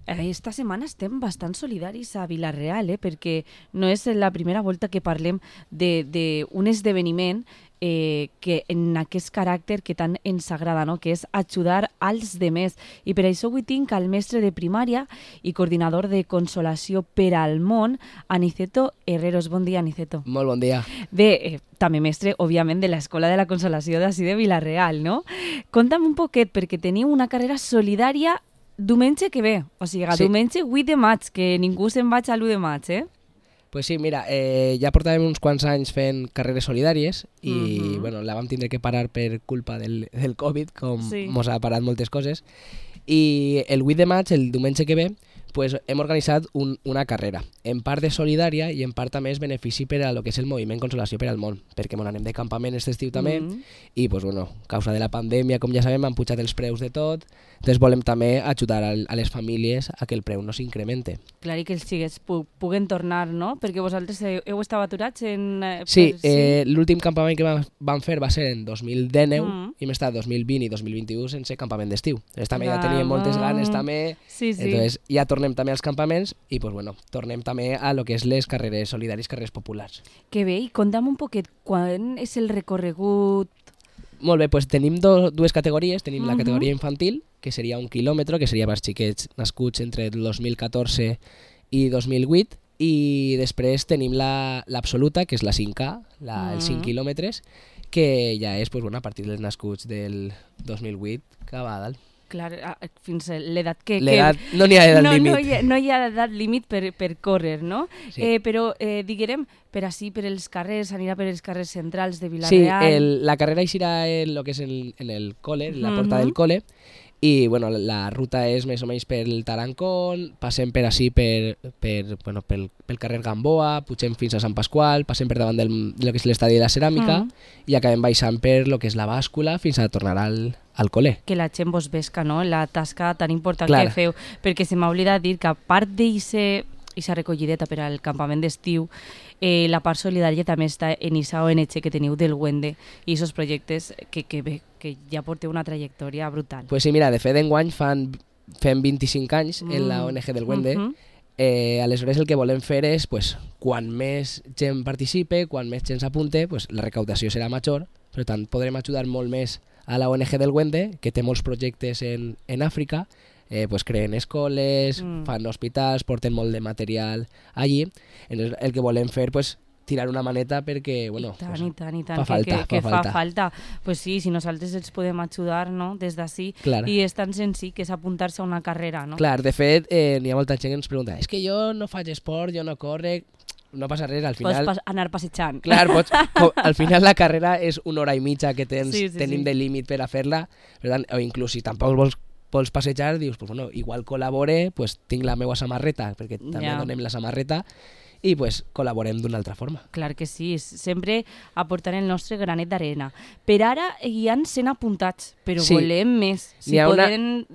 esta setmana estem bastant solidaris a Vila-real, perquè no és la primera volta que parlem d'un esdeveniment que en aquest caràcter que tant ens agrada, no? Que és ajudar als demés. I per això avui tinc al mestre de primària i coordinador de consolació per al món, Aniceto Herreros. Bon dia, Aniceto. Molt bon dia. Bé, també mestre, òbviament, de l'Escola de la Consolació d'ací de Vila-real, no? Conta'm un poquet, perquè teniu una carrera solidària diumenge que ve, o sigui, sí. Diumenge 8 de maig, que ningú se'n vaig a l'1 de maig, Pues sí, mira, ja portàvem uns quants anys fent carreres solidàries i bueno, la vam tindre que parar per culpa del Covid, com mos ha parat moltes coses. I el 8 de maig, el diumenge que ve, pues hem organitzat una carrera, en part de solidària i en part també és benefici per a lo que és el moviment Consolació per al món, perquè anem de campament aquest estiu també i, pues, bueno, a causa de la pandèmia, com ja sabem, han pujat els preus de tot, entonces volem també ajudar a les famílies a que el preu no s'incremente. Clar, i que els xiquets puguen tornar, no? Perquè vosaltres heu estat aturats en... Sí, l'últim campament que vam fer va ser en 2019 i hem estat 2020 i 2021 sense campament d'estiu. Entonces també ja teníem moltes ganes també, entonces ja tornem també als campaments i pues, bueno, tornem també a lo que és les carreres solidàries, carreres populars. Que bé, i conta'm un poquet, quan és el recorregut? Molt bé, pues tenim dues categories, tenim la categoria infantil, que seria 1 quilòmetre, que seria per xiquets nascuts entre el 2014 i 2008, i després tenim l'absoluta, que és la 5K, els 5 quilòmetres, que ja és pues, bueno, a partir dels nascuts del 2008 que va a dalt. Clar, fins a l'edat que... No n'hi ha edat límit. No hi ha edat límit per córrer, no? Sí. Però, diguem, per els carrers, anirà per els carrers centrals de Vila-real... Sí, la carrera eixirà en el que és en el col·le, en la porta del col·le, i bueno, la ruta és més o menys pel Tarancón, passem per ací pel carrer Gamboa, pugem fins a Sant Pasqual, passem per davant del que és l'estadi de la ceràmica i acabem baixant per lo que és la bàscula fins a tornar al col·le. Que la gent vos vesca, no? La tasca tan important que feu, perquè se m'ha oblidat dir que a part d'eixa recollideta per al campament d'estiu, la part solidària també està en aquesta ONG que teniu del Wende i aquests projectes que ja porteu una trajectòria brutal. Pues sí, mira, de fet enguany fem 25 anys en la ONG del Wende. Aleshores el que volem fer és, pues, quan més gent participe, quan més gent s'apunte, pues, la recaudació serà major, per tant podrem ajudar molt més a la ONG del Wende, que té molts projectes en Àfrica, pues creen escoles, fan hospitals, porten molt de material allí. Entonces, el que volem fer, pues, tirar una maneta perquè, bueno, I tant, fa falta. Pues sí, si nosaltres els podem ajudar, no?, des d'ací, i és tan senzill que és apuntar-se a una carrera, no? Clar, de fet, n'hi ha molta gent que ens pregunta, és que jo no faig esport, jo no corre... No passa res, al final... Pots anar passejant. Clar, al final la carrera és 1 hora i mitja que tenim de límit per a fer-la, per tant, o inclús si tampoc vols passejar, dius, pues, bueno, igual col·labore, pues, tinc la meva samarreta, perquè també donem la samarreta, i pues, col·laborem d'una altra forma. Clar que sí, sempre aportant el nostre granet d'arena. Per ara hi ha 100 apuntats, però volem més. Si podem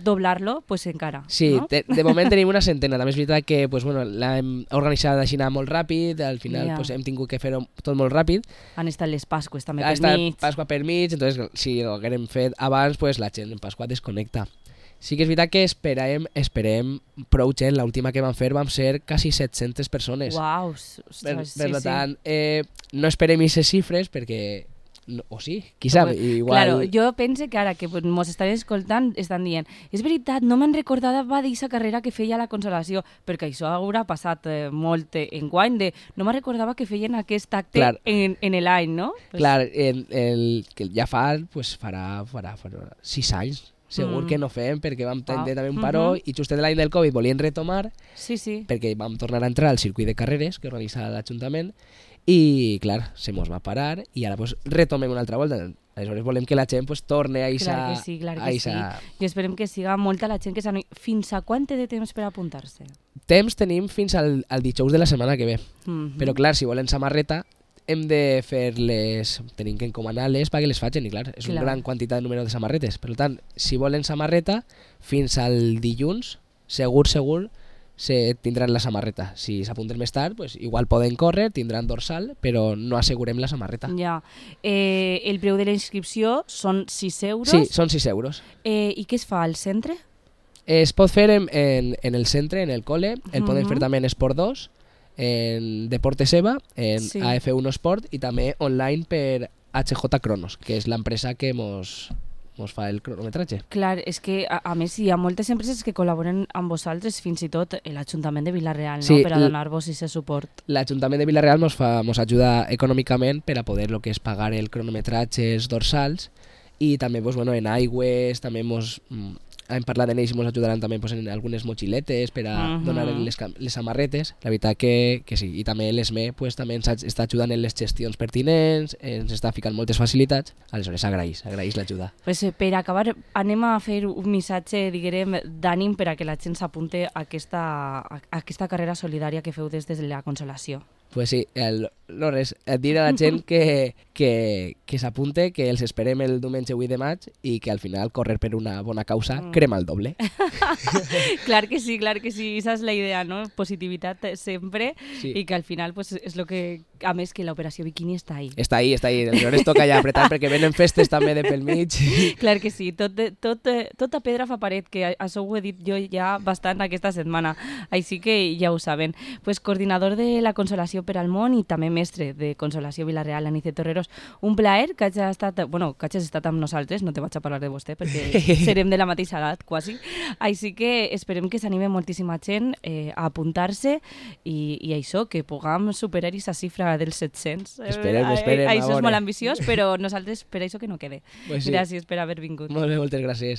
doblar-lo, pues encara. Sí, no? De moment tenim una centena. També és veritat que pues, bueno, l'hem organitzat així molt ràpid, al final pues, hem tingut que fer-ho tot molt ràpid. Han estat les Pasques també per mig. Ha estat Pasqua per mig, entonces si ho haguérem fet abans, pues, la gent en Pasqua desconnecta. Sí que és veritat que esperem prou gent. L'última que vam fer vam ser quasi 700 persones. Uau! Per tant, no esperem aquestes xifres perquè... O sí, qui sap? Igual... Claro, jo penso que ara que mos estan escoltant estan dient és veritat, no me'n recordava d'aquesta carrera que feia la Consolació, perquè això haurà passat molt enguany de no me'n recordava que feien aquest acte en l'any, no? Clar, el que ja farà 6 anys. Segur que no fem, perquè vam tenir també un paró i just l'any del Covid volien retomar perquè vam tornar a entrar al circuit de carreres que organitza l'Ajuntament i, clar, se mos va parar i ara pues, retomem una altra volta. Aleshores volem que la gent pues, torne a eixa... Clar que sí. I esperem que siga molta la gent que s'anoi. Fins a quant té de temps per apuntar-se? Temps tenim fins al dijous de la setmana que ve. Però, clar, si volen samarreta hem de fer-les, tenim que encomanar-les perquè les facin, i clar, és una gran quantitat de número de samarretes. Per tant, si volen samarreta, fins al dilluns, segur, tindran la samarreta. Si s'apunten més tard, pues, igual poden córrer, tindran dorsal, però no assegurem la samarreta. Ja. El preu de la inscripció són 6 euros? Sí, són 6 euros. I què es fa al centre? Es pot fer en el centre, en el cole, el poden fer també en Esport 2, en Deportes EVA, en AF1 Sport i també online per HJ Cronos, que és l'empresa que mos fa el cronometratge. Clar, és que a més hi ha moltes empreses que col·laboren amb vosaltres, fins i tot l'Ajuntament de Vila-real, no? Per a donar-vos aquest suport. L'Ajuntament de Vila-real mos ajuda econòmicament per a poder lo que és pagar el cronometratge, els dorsals, i també en aigües, també hem parlat en ells i ens ajudaran també en algunes motxiletes per a donar les samarretes. La veritat que sí. I també l'ESME també ens està ajudant en les gestions pertinents, ens està ficant moltes facilitats. Aleshores, agraïs l'ajuda. Pues, per acabar, anem a fer un missatge, diguem, d'ànim per a que la gent s'apunte a aquesta carrera solidària que feu des de la Consolació. Pues sí, no res, dir a la gent que s'apunte, que els esperem el diumenge 8 de maig i que al final córrer per una bona causa crema el doble. Clar que sí, esa és la idea, no? Positivitat sempre i que al final pues, és lo que, a més que l'operació Bikini està ahí. Està ahí, aleshores toca ja apretar perquè venen festes també de pel mig. Clar que sí, tota pedra fa paret, que això ho he dit jo ja bastant aquesta setmana, així que ja ho saben. Pues coordinador de la Consolació per al món i també mestre de Consolació Vila-real, Anice Torreros. Un plaer que hagis estat amb nosaltres, no te vaig a parlar de vostè perquè serem de la mateixa edat, quasi. Així que esperem que s'anime moltíssima gent a apuntar-se i això, que puguem superar aquesta xifra dels 700. Esperem. Això és molt ambiciós, però nosaltres per això que no quede. Pues sí. Gràcies per haver vingut. Molt bé, moltes gràcies.